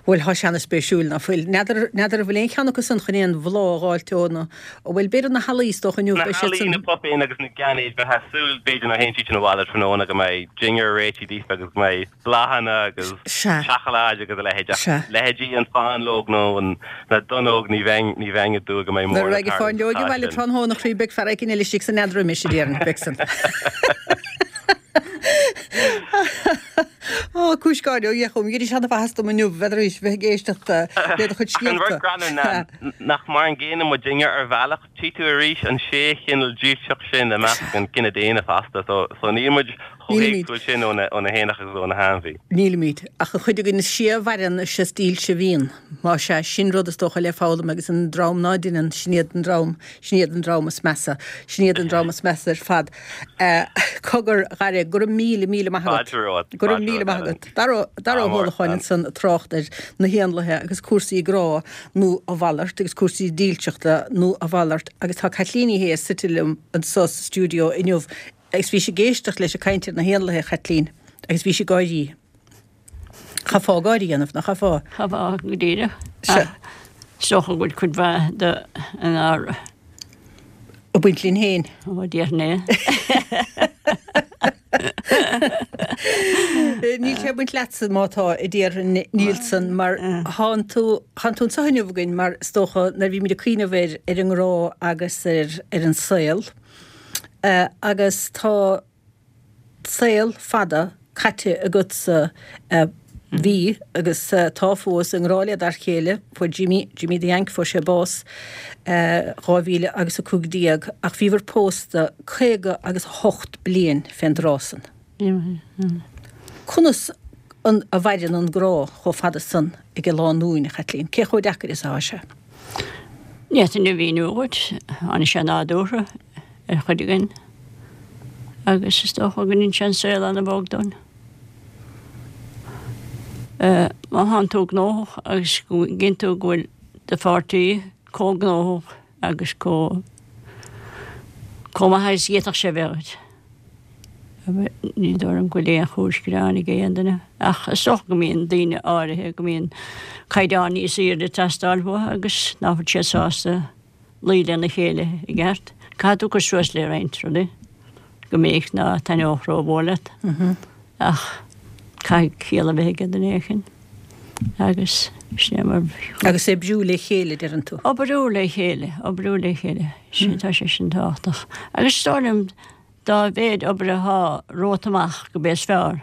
Bhuel, thá sé ana-spéisiúil, ná fuil? N'fheadar, n'fheadar an bhfuil aon cheann acu san chun aon bhláth a dh'fháilt ó na, bhuel, b'fhéidir na healaí, is dócha inniu, Na beidh siad healaí, san. na puipéin agus na geannaid, bheifeá ag súil, b'fhéidir, nuair a théann siad sin abhaile tráthnóna go mbeidh dinnéar réitithe daofa agus go mbeidh bláthanna agus Sea. seacláid agus a leithéid ach Sea. leithéidí an fáinleog nó an, na donnóg, ní bheinn, ní bheinn ag dúil go mbeidh Nuair mórán a ag raghaidh tarlú sa fáinleoig chás abhaile sin. tráthnóna, a chroí, beidh fear éicint eile istigh san nead roimis, a déarfainn, beidh san. Á, cúis gáire ó Dhia chugam. Dheinis ana-mhaitheas dom inniu bheith tar éis bheith ag éisteacht le do chuid Ach an rud scéalta. greannmhar ná nach mar an gcéanna muidinne ar bhealach, tchí tú arís an sé chineál dílseacht sin i measc an cine daonna fosta, so so níl muid. Chomh héagsúil sin ó na héanacha agus ó na hainmhí. Nílimid. Ach an chuid againn is sia a mhaireann, is is dílse a bhíonn. Más ea, sin rud is dócha le foghlaim agus an dream ná deineann, sin iad an dream, sin iad an dream is measa. Sin iad an dream is measa ar fad. Cogar, a Dhara, go raibh míle, míle maith agat. Fáilte romhat. Go raibh míle maith agat. Dara, Dara Ó hUallacháin ansan ag trácht ar na héanlaithe agus cúrsaí grá nó a mhalairt agus cúrsaí dílseachta nó a mhalairt agus tá Caitlín Ní Shé suite liom anso sa stiúideo inniu Agus bhís ag éisteacht leis ag caint ar na héanlaithe, a Chaitlín, agus bhís ag gáirí. Chaithfeá gáire a dhéanamh, nach gcaithfeá? Chaithfeá, go díreach. Ach is dócha go bhfuil cuid mhaith de inár. Ag baint linn féin. Ó, déarfainn é. Níl sé ag baint leatsa má tá, a déarfainn, níl san, mar thánn tú, thánn tú anseo inniu againn mar is dócha nuair a bhímid ag cuimhneamh ar, ar an ngrá agus ar, ar an saol, Agus tá saol fada caite agatsa, bhí agus tá fós, i ngrá le d'fhear céile, fuair Jimmy, Jimmy the Yank, fuair sé bás 2000 agus 15, ach bhíobhair pósta 50 agus 8 bliain fén dtráth san. Conas a mhaireann an grá chomh fada san ag lánúin, a Chaitlín? Cé chomh deacair is atá sé? Ní fhéadfainn a mhíniú dhuit. Tháinig sé nádúrtha ar chuid againn agus is dócha go ndeineann sé an saol ana-bhog dúinn. Má thánn tú gnóthach agus go gcíonn tú go bhfuil do pháirtí chomh gnóthach agus chomh chomh maith agus a d'fhéadfadh sé a bheith dhuit. Ní dóigh liom go bhfuil aon chúis gearáin ag aon duine, ach is dócha go mbíonn daoine áirithe go mbíonn caighdeán níos aoirde ag teastáil uathu agus ná fuil siad sásta luí lena chéile i gceart. Caithfidh tú cur suas le roinnt rudaí go minic ná taitneodh rómhór leat, ach caithfidh ciall a bheith ag duine éicint agus sin é mar. Agus oibriú le chéile, deireann tú? Oibriú le chéile, oibriú le chéile, sin, tá sé sin tábhachtach. Agus is dóigh liom Dá mhéid obair athá romhat amach go b'é is fearr,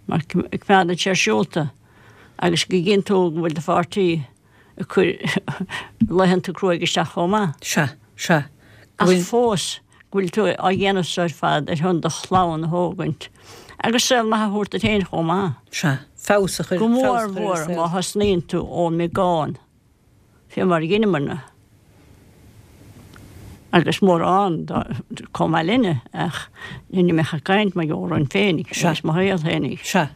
mar coimeádann sé ar siúl tú agus go gcíonn tú go bhfuil do pháirtí ag cur laethanta cruaidh isteach chomh maith. Sea, sea. Ach fós go bhfuil tú á dhéanamh so ar fad ar shon do chlann a thógaint agus saol maith a thabhairt duit féin chomh maith. Sea, feabhas a chur, Go mór mhór má thosnaíonn tú ón mbeagán. Fé mar a dheineamarna, agus mórán chomh maith linne, ach ní mbeadh ag caint mar gheall orainn féinig agus mo shaol féinig. Sea.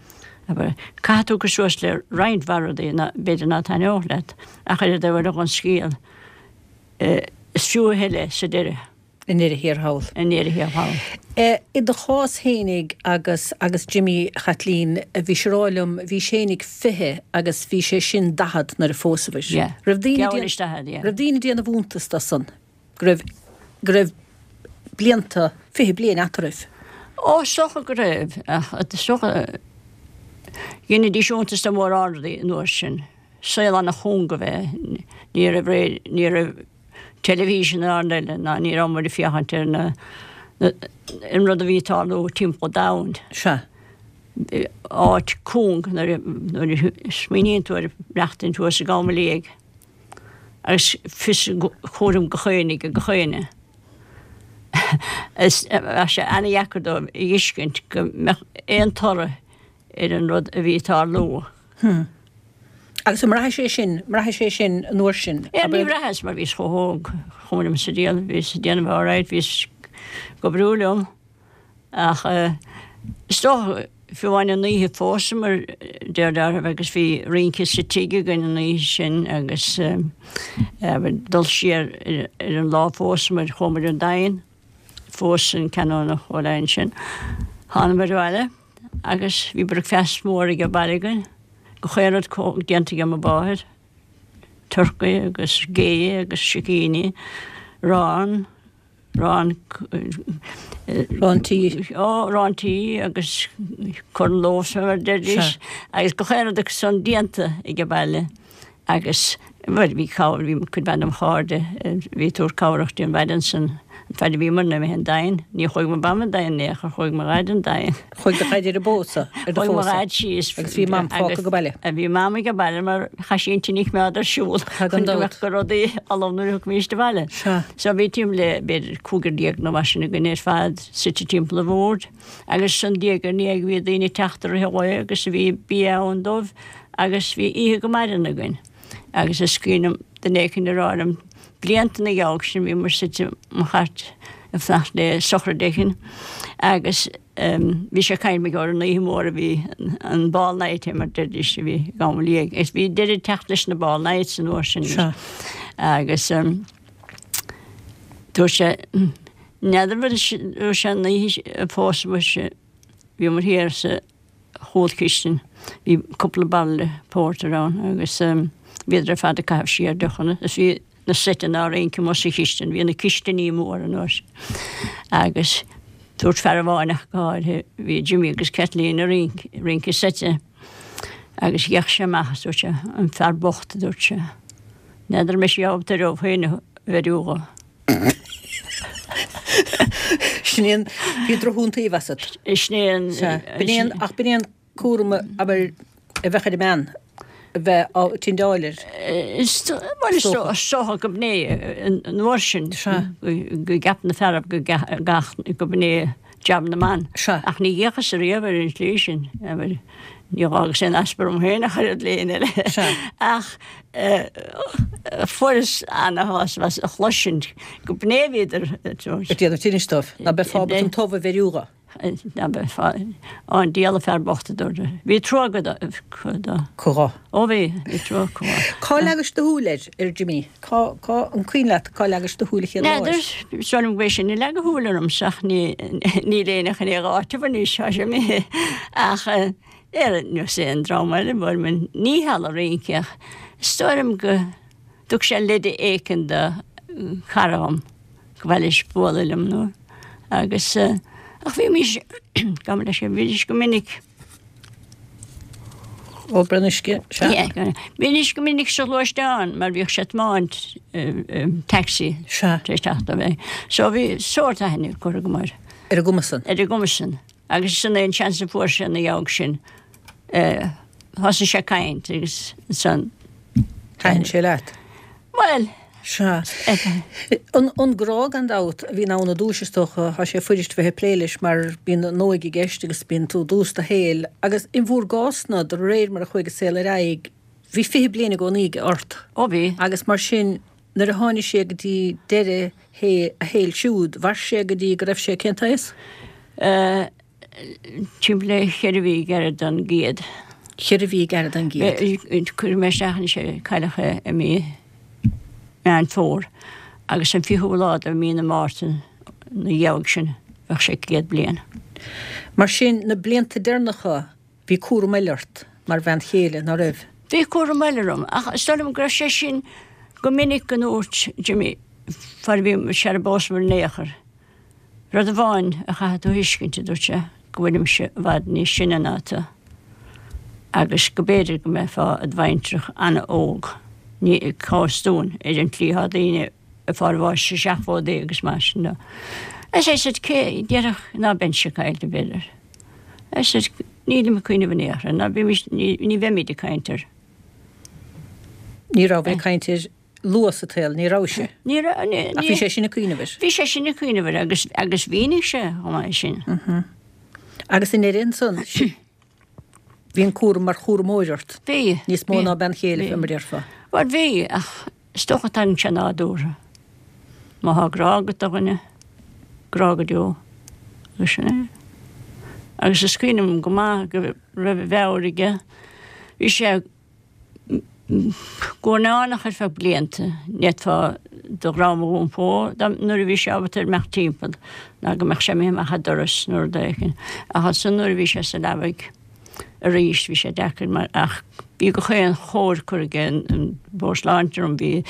Abair, caithfidh tú cur suas le roinnt mhaith rudaí ná b'fhéidir ná taitneodh leat, ach ar an dtaobh eile den scéal, is fiú a thuilleadh sa deireadh. I ndeireadh thiar thall. I ndeireadh thiar thall. I do chás fhéinig agus agus Jimmy, a Chaitlín, bhís ag rá liom, bhís fhéinig 20 agus bhí sé sin 40 nuair a phósabhair. Yeah. Raibh daoine Geall leis 40, yeah. Raibh daoine ag déanamh iontas do san, go raibh, go raibh blianta, 20 bliain eatarthu? Ó, is dócha go raibh, ach is dócha, dheinidís iontas de mhórán rudaí an uair sin. Saol ana-chúng ab ea é. Ní raibh ré, ní raibh. teilifís ná aon rud eile ná ní raibh muid ag féachaint ar na an rud a bhí ag tarlú timpeall an domhain. Sea. Áit cúng nuair nuair a smaoiníonn tú ar mhaireachtaint thuas i gCom Liag agus fios cúram gach éinne ag gach éinne. Is bheadh sé ana-dheacair dóibh a fheiscint go mbeadh aon toradh ar an rud a bhí ag tarlú. Hm. Agus an mbraithis é sin, mbraithis é sin an uair sin? Yeah, ní bhraitheas mar bhíos chomh hóg, chuma liom sa diabhal, bhíos ag déanamh alright, bhíos ag oibriú liom. Ach is dócha, fiú amháin an oíche phósamar deir deartháir agus bhí rince sa tigh againn an oíche sin agus dul siar ar an lá phósamar, chuamar an Daingean. Phós an Canónach Ó Laighin sin. Thánamar abhaile agus bhí bricfeast mór age baile againn, gach aon rud déanta age mo mháthair, turcaí agus gé agus sicíní, arán, arán, Arán tí. Ó, arán tí agus corn loaves mar a deiridís agus gach aon rud acu san déanta age baile. Agus, bhuel, bhí cabhair, bhí cuid mhaith de mo chairde, bhí ag tabhairt cabhrach di an mhaidin san. Fad a bhíomar imithe 'on Daingean, ní chuaigh mo mham 'on Daingean in aon chor, chuaigh mo dhaid 'on Daingean. Chuaigh do dhaid ar an bpósadh, ar do Chuaigh mo phósadh. dhaid síos. Agus bhí mam fágtha age baile. Bhí mam age baile mar chaith sí an tine a choimeád ar siúl Tá gan chun go dabht. mbeadh go rudaí ullamh nuair a thiocfaimíst abhaile. Sea. So bhí timpeall le b'fhéidir cúigear déag nó mar sin againn ar fad suite timpeall an bhoird agus ansan diaidh ar ndiaidh bhí daoine ag teacht i rith an lae agus bhí bia ann dóibh agus bhí oíche go maireann againn. Agus is cuimhin liom duine éicint a rá liom blianta ina dhiaidh sin bhíomar suite i mo chairt ag fanacht le sochraid éicint agus bhí sé ag caint mar gheall ar an oíche mhór a bhí an ball night é mar deiridís a bhí ag am liaigh agus bhí deireadh ag teacht leis na ball nights an uair sin agus dúirt sé n'fheadar dúirt sé an oíche a phósadh muise bhíomar thiar sa chúlchistin. Bhí cúpla bairille pórtair ann agus bhíodar ar fad ag caitheamh siar deochanna is bhí na seiteanna á rince amuigh sa chistin, bhí na cistiní mór an uair sin. Agus dúirt fear amháin ach go háirithe, bhí Jimmy agus Kathleen ag rince, rince seite agus d'fhéach sé amach is dúirt sé, an fear bocht, a dúirt sé, n'fheadar an mbeidh sí ábalta ar dóibh féin a bheiriú dho. Sin é an, bhí drochiontaoibh asat. Sin é an. Sea. B'in é an, ach b'in é an cúram, abair, a bheadh ar an mbean, a bheith á tindeáil air. Is, bhuel, is dócha go b'in é an uair sin. Sea. Go gceap na fearaibh go gach, go b'in é jab na mban. Sea. Ach ní fhéachas riamh ar an tslí sin, abair, ní dh'fhágas aon easpa orm féin ach oiread le éinne eile. Sea. Ach fuaireas ana-shásamh as a chloisint go b'in é a bhíodar ag déanamh tinnis dóibh, ná beifeá ábalta an t-ubh a bheiriú dho. Ná beifeá, an diabhal an fear bocht a dúirt. Bhí trua acu dó. Acu dhó. Ó bhí, bhí trua acu dhó. Cá leagais do shúil air, ar Jimmy? Cá, cá, an cuimhin leat cá leagais do shúil an chéad lá air? N'fheadar, is dóigh liom go b'é sin a leag a shúil ormsa ach ní, níl éinne chun é a dh'áiteamh anois, tá sé imithe. Ach ar nós aon dream eile, bhuel, ní halla rince ach is dóigh liom go dtug sé leide éicint do chara dhom go mba leis bualadh liom nó agus ach bhímís, gabh mo leithscéal, bhídís go minic. Ó braon uisce, sea. Yeah, bhídís go minic sa ghluaisteán mar bhíodh sé ag tiomáint taxi Sea. tar éis teacht ó bheith. So bhí sórt aithne curtha agam air. Ar an gcuma san. Ar an gcuma san. Agus sin é an seans a fuair sé ina dhiaidh sin. Thosaigh sé ag caint agus ansan. Thaitin sé leat? Bhuel. Sea. An grá gan dabht a bhí ann i dtús is dócha, tá sé fuirist bheith ag plé leis mar bíonn an óige i gceist agus bíonn tú i dtús do shaoil. Agus in bhur gcás-na, de réir mar a chuaigh an saol ar aghaidh, bhí 20 bliain i gcónaí aige ort. Ó bhí. Agus mar sin, nuair a tháinig sé go dtí deireadh a shaoil siúd, mhair sé go dtí go raibh sé cén t-aos? Timpeall le cheithre mhí gairid don gcéad. Cheithre mhí gairid don gcéad. Cuirfidh mé isteach anois é, cailleadh é i mí Meán Fómhair agus an fichiú lá de mhí na Márta na dhiaidh sin bheadh sé 100 bliain. Mar sin, na blianta deireanacha Bhí cúram eile ort mar bhean chéile, ná raibh? Bhí cúram eile orm, ach is dóigh liom go raibh sé sin go minic go ndúirt Jimmy, fad a bhí sara bpósamar in aon chor, rud amháin a chaithfidh tú a thuiscint, a dúirt sé, go bhfuilimse i bhfad níos sine ná tú agus go b'fhéidir go mbeifeá i do bhaintreach an-óg, ní cá bhfios dúinn, ar an tslí atá daoine ag fáil bháis sa seachtóidí agus mar sin de. As I said, cé déarfadh ná beinnse caillte, b'fhéidir. I said, nílim ag cuimhneamh in aon chor, ná bímis, ní bheimid ag caint air. Ní raibh ag caint air luath sa tsaol, ní raibh sé. Ní raibh, ní, Ach bhí sé sin ag cuimhneamh air. Bhí sé sin ag cuimhneamh air agus, agus mhínigh sé chomh maith sin. Agus i ndeireadh ansan, bhí an cúram mar chúramóir ort. Bhí. Níos mó ná bean chéile, fé mar a déarfá. Bhuel, bhí, ach Is dócha tagann sé nádúrtha. Má thá grá agat do dhuine, grá go deo. Agus sin é. Agus is cuimhin liom go maith go raibh a mheabhair aige. Bhí sé guairneánach ar feadh blianta. Ní fhéadfá do dhroim a dh'iompó nuair a bhí sé ábalta imeacht timpeall ná go mbeadh sé imithe amach an doras nó rud éigin. Ach ansan nuair a bhí sé sa leabaidh, arís. Bhí sé deacair mar ach bhí gach aon chóir curtha aige an Bord Sláinte orm, bhí.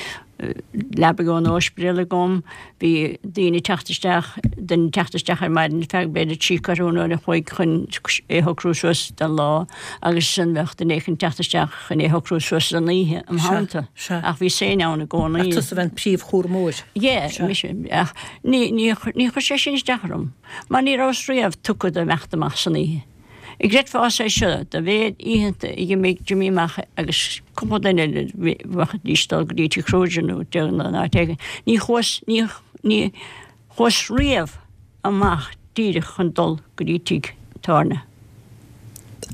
leabaidh ón óispidéal agam, bhí daoine ag teacht isteach, duine ag teacht isteach ar maidin ar feadh b'fhéidir trí ceathrú an uair a chloig chun é a shocrú suas don lá agus ansan bheadh duine éicint ag teacht isteach chun é a shocrú suas don oíche im theannta. Ach bhíos féin ann i gcónaí. Ach tusa a bheith an príomhchúramóir. Yeah, mise. Ach ní, ní, ní chuir sé sin isteach orm mar ní rabhas riamh tugtha do imeacht amach san oíche. An gcreidfeása é seo, dá mhéad oícheanta a dh'imigh Jimí amach agus cúpla duine eile bheidís ag dul go dtí Tigh Kruger nó nó in áit éigin, ní chuas, ní, ní chuas riamh amach díreach chun dul go dtí tigh tábhairne.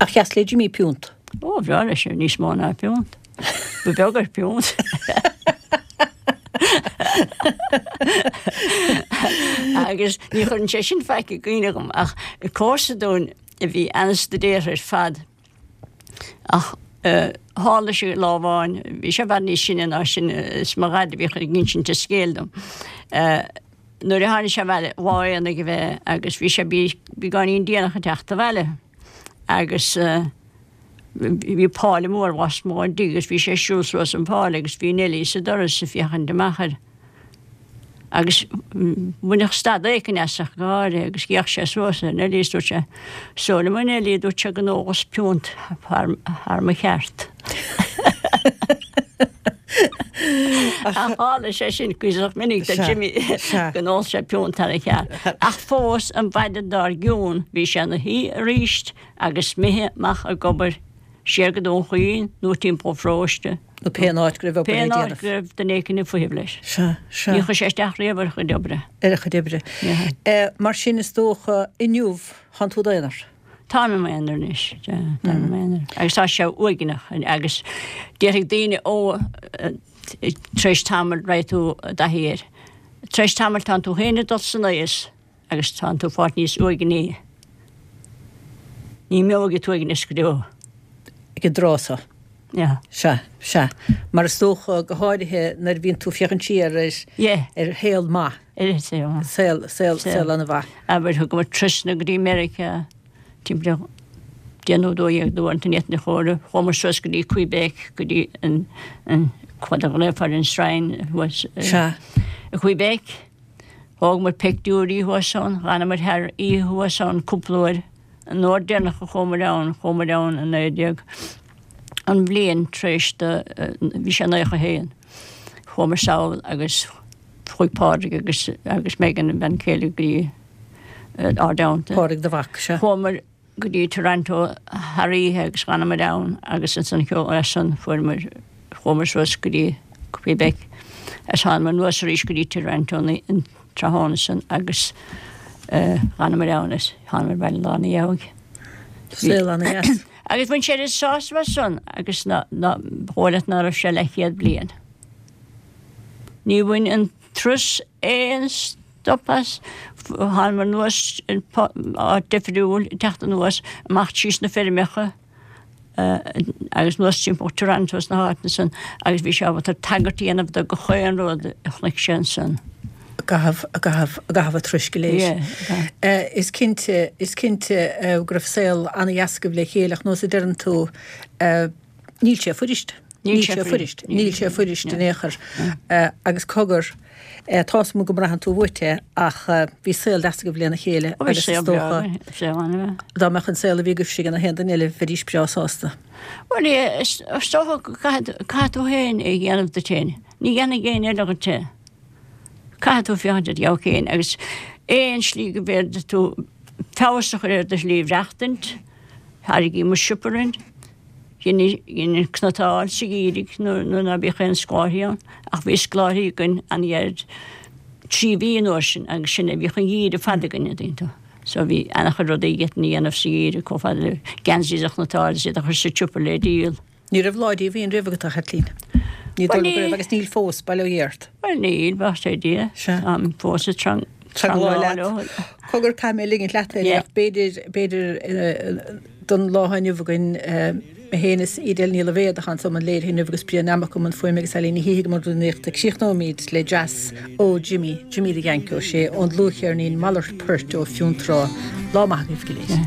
Ach dheas le Jimí piúnt. Ó, bhreá leis níos mó ná piúnt. Ba bheag air piúnt. Agus ní chuireann sé sin faic i gcuimhne dhom ach comharsa dúinn a bhí an-stuidéartha ar fad ach tharla sé lá amháin, bhí sé i bhfad níos sine ná sin, is mo dhaid a bhíodh ag insint an scéil dom. Nuair a tháinig sé abhaile, lá aonaigh ab ea agus bhí sé beagáinín déanach ag teacht abhaile agus Bhí páile mór lasmuigh ón dtigh agus bhí sé ag siúl suas an pháile agus bhí Neilí sa doras ag féachaint amach air. Agus baineadh stad éicint as ach go háirithe agus d'fhéach sé suas ar Neilí is dúirt sé, 'Is dóigh liom a Neilí, a dúirt sé, go n-ólas piúnt thar mo cheart. Ach tharla sé sin cuíosach minic do Jimmy go n-ól sé piúnt thar a cheart. Ach fós an mhaidin dár gcionn bhí sé ina shuí aríst Agus mise amach ag obair, siar go Dún Chaoin nó timpeall an pharóiste. Nó pé áit go raibh obair le déanamh. Pé áit go raibh duine éicint ag feitheamh leis. Sea, sea. Ní chuir sé isteach riamh ar a chuid oibre. Ar a chuid oibre. Mar sin is dócha inniu tánn tú i d'aonar. Táim i m'aonar anois, sea, táim i m'aonar. Agus tá sé uaigneach agus déarfaidh daoine ó tar éis tamaill raghaidh tú i dtaithí air. Tar éis tamaill tánn tú féin ag dul san aois. Agus tánn tú fáilt níos uaigní. Ní imeoidh an t-uaigneas go deo. Ag an dtráth so. Yeah. Sea, sea. Mar is dócha, go háirithe nuair a bhíonn tú ag féachaint siar ar, Yeah. ar shaol maith. Ar shaol maith. Saol, saol, saol an-mhaith. Abair, thugamar trasna go dtí Meiriceá timpeall ar 10 nó 12 d'uaireanta ní fhéadfainn a chomhaireamh. Chuamar suas go dtí Quebec, go dtí an, an, cad a ghlaofar an shrine thuas Sea. i Quebec. Thógamar peictiúirí thuas ann, dh'fhanamar thar oíche thuas ann cúpla uair. An uair deireanach a chuamar ann, chuamar ann i 19, an bhliain tar éis do, bhí sé 91, chuamar sall agus chuaigh Pádraig agus, agus Megan, a bhean chéile, go dtí ár dteannta. Pádraig do mhac, sea. Chuamar go dtí Toronto thar oíche agus dh'fhanamar ann agus ansan as san fuaireamar, chuamar suas go dtí Quebec agus thánamar anuas arís go dtí Toronto an tráthnóna san agus dh'fhanamar ann agus thánamar abhaile lá ina dhiaidh. Saol ana-dheas. Agus bhain sé oiread sásamh as san agus ná, ná, ba dhóigh leat ná raibh sé leathchéad bliain. Ní bhain an turas aon stop as. Thánamar anuas áit difriúil ag teacht anuas, amach tríos na feirmeacha agus anuas timpeall Toronto is na háiteanna san agus bhí sé ábalta tagairt a dhéanamh do gach aon rud a chonaic sé ansan. I gcaitheamh, i gcaitheamh, i gcaitheamh an turais go léir. Yeah. Is cinnte, is cinnte go raibh saol an-dheas agaibh le chéile ach nós a deireann tú, Níl sé fuirist. Níl sé fuirist. Níl sé fuirist in aon chor. Agus cogar, tá's agam go mbraitheann tú uait é ach bhí saol deas agaibh lena chéile agus is dócha dá mbeadh an saol a bhí agaibhse ag aon duine eile bheidís breá sásta. Bhuel, is dócha go caithfidh tú féin é a dhéanamh duit féin. Ní dhéanfaidh éinne eile dhuit é. Caithfidh tú féachaint ar do dheabhaidh féin agus aon slí go bhféadfaidh tú feabhas a chur ar do shlí mhaireachtaint, Thairgí mo siopa orainn. Dhein cniotáil sa gheimhreadh nuair ná bíodh aon scoláirí ann, ach bhí scoláirí againn an-ghairid, 3 mhí an uair sin, agus sin é, bhíodh an geimhreadh fada againn, an dtuigeann tú. So bhí an-chuid rudaí a d'fhéadfainn a dhéanamh sa gheimhreadh, chomh fada le geansaí a chniotáil is iad a chur sa tsiopa le díol. Ní raibh lá díomhaoin riamh agat, a Chaitlín. Ní dóigh liom go raibh, agus níl fós, bail ó Dhia ort. Bhuel níl, bail ó Dhia. Sea. Táim fós ag Teagmháil leat. Cogar, caithfidh mé ligint leat é, ach b'fhéidir, b'fhéidir don lá atá inniu againn, mé féin is Edel Ní Loibhéad atá anso i mbun léirithe inniu agus Brian Nammock i mbun fuaime agus Eileen Ní Shíthigh i mbun rúnaíochta. Críochnóimid le dreas ó Jimmy, Jimmy the Yank Ó Sé, ón dlúthcheirnín Malairt Poirt ó Fionntrá. Lá maith agaibh go léir.